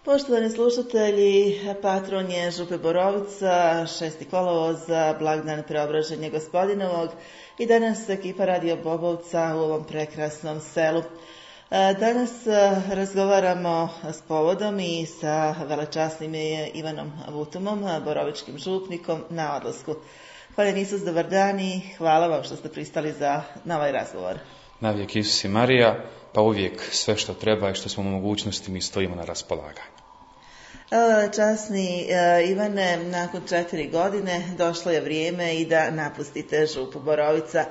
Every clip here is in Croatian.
Poštovani slušatelji, patron je Župe Borovica, 6. kolovoza, blagdan Preobraženja Gospodinovog i danas ekipa Radio Bobovca u ovom prekrasnom selu. Danas razgovaramo s povodom i sa velečasnim Ivanom Vutumom, borovičkim župnikom na odlasku. Hvala Isus, dobar dan i hvala vam što ste pristali na ovaj razgovor. Navijek Isus i Marija, pa uvijek sve što treba i što smo u mogućnosti mi stojimo na raspolaganju. Časni Ivane, nakon 4 godine došlo je vrijeme i da napustite Župu Borovica.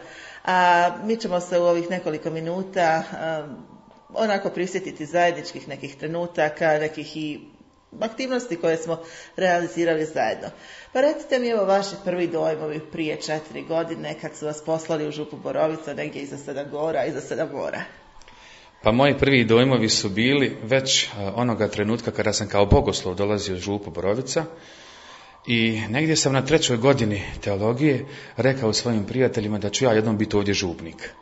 A mi ćemo se u ovih nekoliko minuta onako prisjetiti zajedničkih nekih trenutaka, nekih i aktivnosti koje smo realizirali zajedno. Pa recite mi evo vaši prvi dojmovi prije 4 godine kad su vas poslali u Župu Borovica negdje iza 7 gora, iza 7 mora. Pa moji prvi dojmovi su bili već onoga trenutka kada sam kao bogoslov dolazio u Župu Borovica i negdje sam na 3. godini teologije rekao svojim prijateljima da ću ja jednom biti ovdje župnik.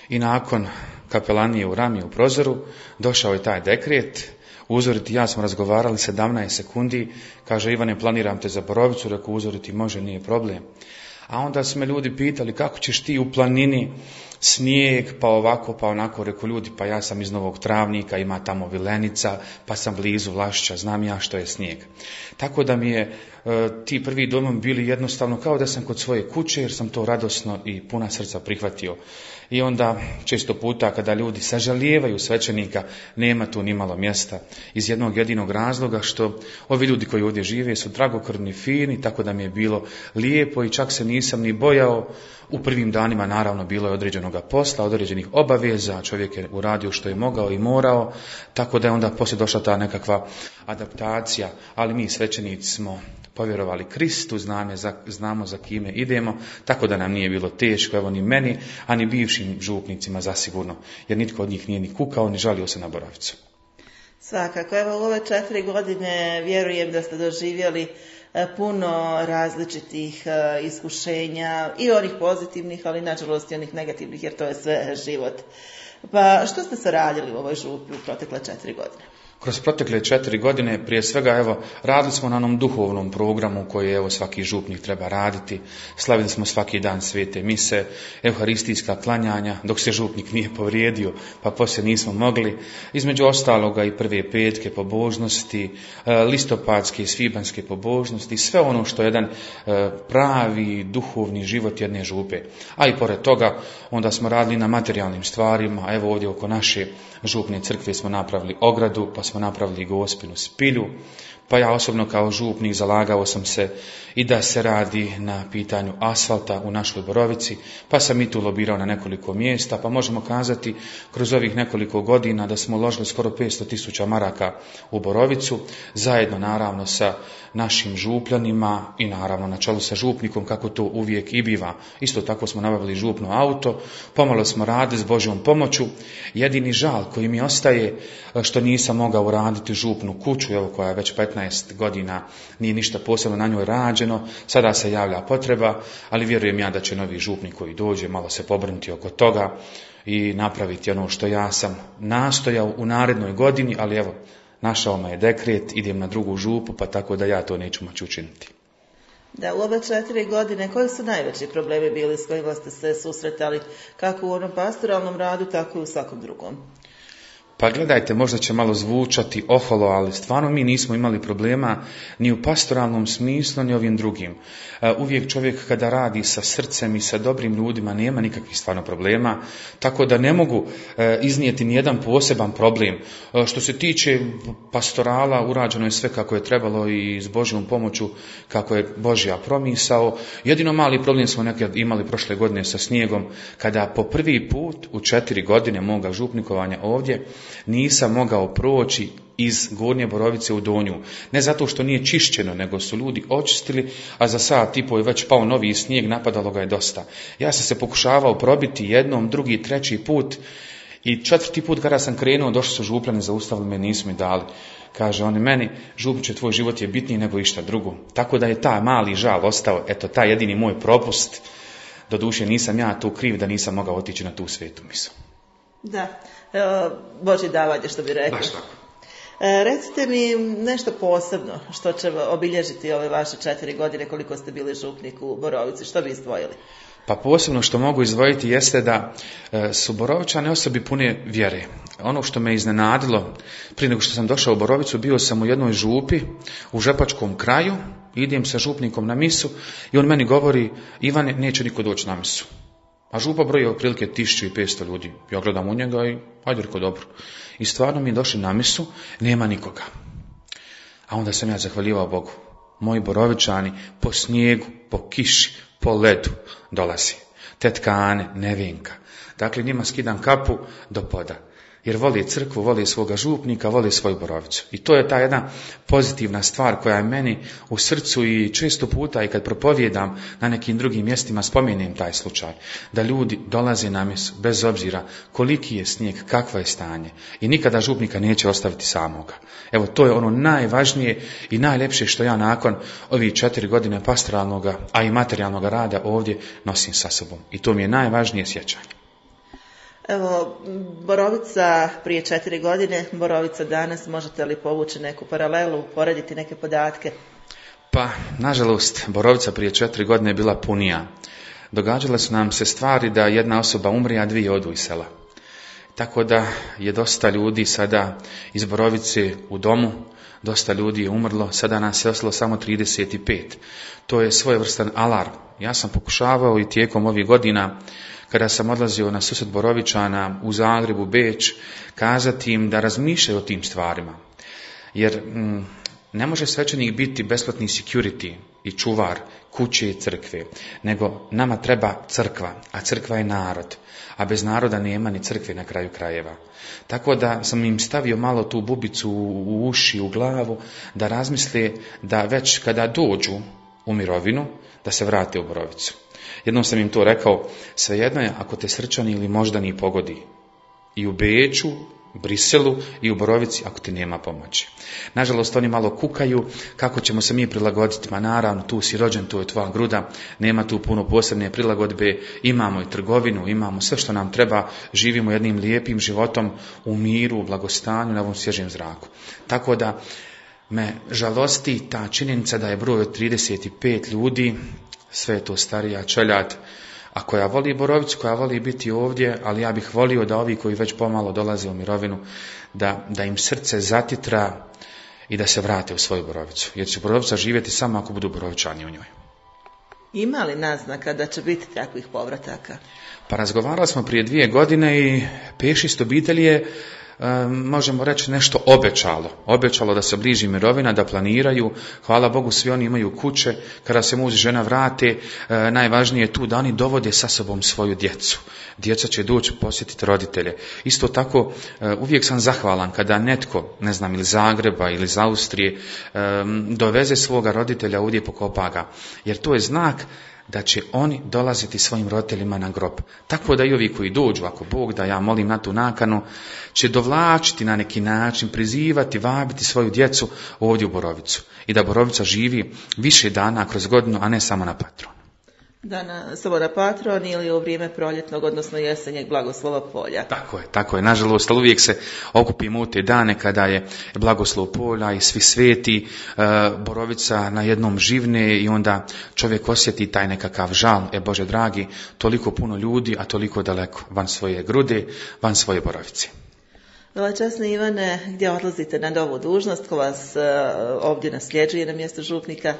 I nakon kapelanije u Rami u Prozoru došao je taj dekret. Uzoriti ja smo razgovarali 17 sekundi, kaže Ivane planiram te za Borovicu, rekao uzoriti može, nije problem. A onda su me ljudi pitali kako ćeš ti u planini, snijeg, pa ovako, pa onako, rekao ljudi, pa ja sam iz Novog Travnika, ima tamo Vilenica, pa sam blizu Vlašića, znam ja što je snijeg. Tako da mi je ti prvi dojmovi bili jednostavno kao da sam kod svoje kuće, jer sam to radosno i puna srca prihvatio. I onda često puta kada ljudi sažalijevaju svećenika, nema tu ni malo mjesta. Iz jednog jedinog razloga što ovi ljudi koji ovdje žive su dragokrvni, fini, tako da mi je bilo lijepo i čak se nisam ni bojao. U prvim danima naravno bilo je određenog posla, određenih obaveza, čovjek je uradio što je mogao i morao, tako da je onda poslije došla ta nekakva adaptacija, ali mi svećenici smo povjerovali Kristu, znamo za kime idemo, tako da nam nije bilo teško, evo ni meni, a ni bivšim župnicima zasigurno, jer nitko od njih nije ni kukao, ni žalio se na Borovicu. Svakako, evo u ove 4 godine vjerujem da ste doživjeli puno različitih iskušenja i onih pozitivnih, ali nažalost i onih negativnih, jer to je sve život. Pa što ste se radili u ovoj župi u protekle 4 godine? Kroz protekle 4 godine, prije svega, evo, radili smo na onom duhovnom programu koji, evo, svaki župnik treba raditi. Slavili smo svaki dan svete mise, euharistijska klanjanja, dok se župnik nije povrijedio, pa poslije nismo mogli. Između ostaloga i prve petke pobožnosti, listopadske i svibanjske pobožnosti, sve ono što je jedan pravi duhovni život jedne župe. A i pored toga, onda smo radili na materijalnim stvarima. Evo ovdje oko naše župne crkve smo napravili ogradu, pa smo napravili Gospinu spilju, pa ja osobno kao župnik zalagao sam se i da se radi na pitanju asfalta u našoj Borovici, pa sam i tu lobirao na nekoliko mjesta, pa možemo kazati kroz ovih nekoliko godina da smo uložili skoro 500.000 maraka u Borovicu, zajedno naravno sa našim župljanima i naravno na čelu sa župnikom, kako to uvijek i biva. Isto tako smo nabavili župno auto, pomalo smo radili s Božjom pomoću. Jedini žal koji mi ostaje što nisam mogao uraditi župnu kuću, evo koja je već 15 godina, nije ništa posebno na njoj rađeno, sada se javlja potreba, ali vjerujem ja da će novi župnik koji dođe malo se pobrinuti oko toga i napraviti ono što ja sam nastojao u narednoj godini, ali evo, našao me je dekret, idem na drugu župu, pa tako da ja to neću moći učiniti. Da, u ove 4 godine, koji su najveći problemi bili s kojima ste se susretali, kako u onom pastoralnom radu, tako i u svakom drugom? Pa gledajte, možda će malo zvučati oholo, ali stvarno mi nismo imali problema ni u pastoralnom smislu, ni ovim drugim. Uvijek čovjek kada radi sa srcem i sa dobrim ljudima nema nikakvih stvarno problema, tako da ne mogu iznijeti nijedan poseban problem. Što se tiče pastorala, urađeno je sve kako je trebalo i s Božjom pomoću kako je Božja promisao. Jedino mali problem smo nekad imali prošle godine sa snijegom, kada po prvi put u 4 godine moga župnikovanja ovdje nisam mogao proći iz Gornje Borovice u Donju. Ne zato što nije čišćeno, nego su ljudi očistili, a za sat i pol je već pao novi snijeg, napadalo ga je dosta. Ja sam se pokušavao probiti jednom, drugi, treći put i 4. put kada sam krenuo, došli su župljani, zaustavili me, nisu mi dali. Kaže oni meni, župniče, tvoj život je bitniji nego išta drugo. Tako da je ta mali žal ostao, eto, taj jedini moj propust. Doduše nisam ja tu kriv da nisam mogao otići na tu svetu misu. Da, Božje davanje, što bi rekli. Baš tako. Recite mi nešto posebno što će obilježiti ove vaše 4 godine koliko ste bili župnik u Borovici. Što bi izdvojili? Pa posebno što mogu izdvojiti jeste da su Borovičane osobi pune vjere. Ono što me iznenadilo, prije nego što sam došao u Borovicu, bio sam u jednoj župi u Žepačkom kraju, idem sa župnikom na misu i on meni govori: Ivane, neće niko doći na misu. A župa broji otprilike 1500 ljudi. Ja gledam u njega i ajde reko dobro. I stvarno mi došli na misu, nema nikoga. A onda sam ja zahvaljivao Bogu. Moji Borovičani po snijegu, po kiši, po ledu dolazi. Tetka Ane, Nevenka. Dakle, njima skidam kapu do poda. Jer voli crkvu, voli svoga župnika, voli svoju Borovicu. I to je ta jedna pozitivna stvar koja je meni u srcu i često puta i kad propovijedam na nekim drugim mjestima spomenem taj slučaj. Da ljudi dolaze na misu bez obzira koliki je snijeg, kakvo je stanje. I nikada župnika neće ostaviti samoga. Evo, to je ono najvažnije i najljepše što ja nakon ovih 4 godine pastoralnog, a i materijalnog rada ovdje nosim sa sobom. I to mi je najvažnije sjećanje. Evo, Borovica prije 4 godine, Borovica danas, možete li povući neku paralelu, porediti neke podatke? Pa, nažalost, Borovica prije 4 godine je bila punija. Događale su nam se stvari da jedna osoba umri, a 2 odu iz sela. Tako da je dosta ljudi sada iz Borovice u domu, dosta ljudi je umrlo, sada nas je ostalo samo 35. To je svojevrstan alarm. Ja sam pokušavao i tijekom ovih godina, kada sam odlazio na susret Borovičana u Zagrebu, Beč, kazati im da razmišljaju o tim stvarima. Jer ne može svećenik biti besplatni security i čuvar kuće i crkve, nego nama treba crkva, a crkva je narod, a bez naroda nema ni crkve na kraju krajeva. Tako da sam im stavio malo tu bubicu u uši, u glavu, da razmisle da već kada dođu u mirovinu, da se vrate u Borovicu. Jednom sam im to rekao: svejedno je ako te srčani ili moždani pogodi. I u Beču, Briselu i u Borovici ako ti nema pomoći. Nažalost, oni malo kukaju kako ćemo se mi prilagoditi. Ma naravno, tu si rođen, tu je tvoja gruda, nema tu puno posebne prilagodbe, imamo i trgovinu, imamo sve što nam treba, živimo jednim lijepim životom u miru, u blagostanju, na ovom svježem zraku. Tako da me žalosti ta činjenica da je broj od 35 ljudi, sve je to starija čeljad, a koja voli Borovicu, koja voli biti ovdje, ali ja bih volio da ovi koji već pomalo dolaze u mirovinu, da im srce zatitra i da se vrate u svoju Borovicu. Jer će Borovica živjeti samo ako budu Borovičani u njoj. Ima li naznaka da će biti takvih povrataka? Pa razgovarali smo prije 2 godine i 5-6 obitelji je, možemo reći, nešto obećalo da se bliži mirovina, da planiraju. Hvala Bogu, svi oni imaju kuće. Kada se muž i žena vrate, najvažnije je tu da oni dovode sa sobom svoju djecu. Djeca će doći posjetiti roditelje. Isto tako, uvijek sam zahvalan kada netko, ne znam, ili Zagreba ili iz Austrije, doveze svoga roditelja ovdje, pokopa ga. Jer to je znak da će oni dolaziti svojim roditeljima na grob. Tako da i ovi koji dođu, ako Bog da, ja molim na tu nakanu, će dovlačiti na neki način, prizivati, vabiti svoju djecu ovdje u Borovicu. I da Borovica živi više dana kroz godinu, a ne samo na Patron. Samo na Patron ili u vrijeme proljetnog, odnosno jesenjeg blagoslova polja. Tako je. Nažalost, ali uvijek se okupimo u te dane kada je blagoslov polja i svi sveti, Borovica na jednom živne i onda čovjek osjeti taj nekakav žal. Bože dragi, toliko puno ljudi, a toliko daleko, van svoje grude, van svoje Borovice. Veličasni Ivane, gdje odlazite na novu dužnost, ko vas ovdje nasljeđuje na mjestu župnika?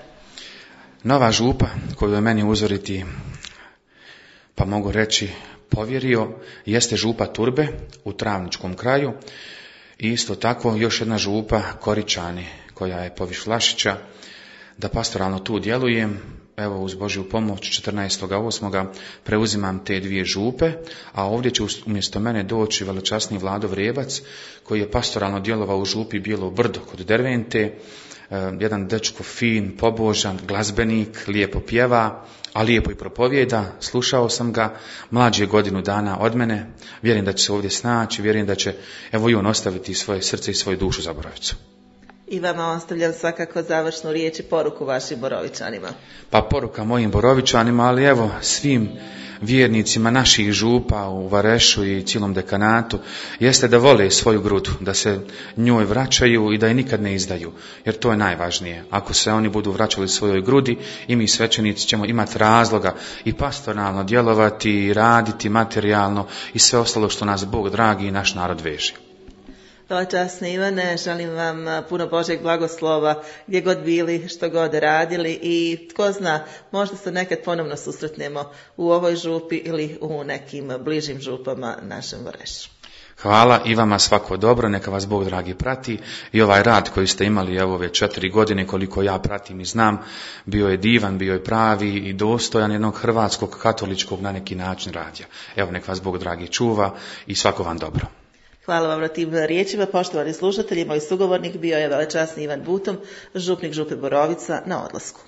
Nova župa koju je meni uzoriti, pa mogu reći, povjerio, jeste župa Turbe u Travničkom kraju i isto tako još jedna župa Koričani koja je poviš Vlašića, da pastoralno tu djelujem. Evo, uz Božju pomoć 14.8. preuzimam te 2 župe, a ovdje će umjesto mene doći veličasni Vlado Vrebac koji je pastoralno djelovao u župi Bijelo Brdo kod Dervente. Jedan dečko fin, pobožan, glazbenik, lijepo pjeva, a lijepo i propovijeda. Slušao sam ga, mlađi je 1 dana od mene, vjerujem da će se ovdje snaći, vjerujem da će, evo, i on ostaviti svoje srce i svoju dušu za Borovicu. I vama ostavljam svakako završnu riječ i poruku vašim Borovičanima. Pa poruka mojim Borovičanima, ali evo svim vjernicima naših župa u Varešu i cijelom dekanatu, jeste da vole svoju grudu, da se njoj vraćaju i da je nikad ne izdaju, jer to je najvažnije. Ako se oni budu vraćali svojoj grudi, i mi svećenici ćemo imati razloga i pastoralno djelovati, i raditi materijalno i sve ostalo što nas Bog dragi i naš narod veže. Časni Ivane, želim vam puno Božjeg blagoslova gdje god bili, što god radili i tko zna, možda se nekad ponovno susretnemo u ovoj župi ili u nekim bližim župama našem Varešu. Hvala i vama svako dobro, neka vas Bog dragi prati i ovaj rad koji ste imali ove 4 godine koliko ja pratim i znam, bio je divan, bio je pravi i dostojan jednog hrvatskog katoličkog na neki način radija. Evo nek vas Bog dragi čuva i svako vam dobro. Hvala vam na tim riječima, poštovani slušatelji. Moj sugovornik bio je velečasni Ivan Butom, župnik župe Borovica na odlasku.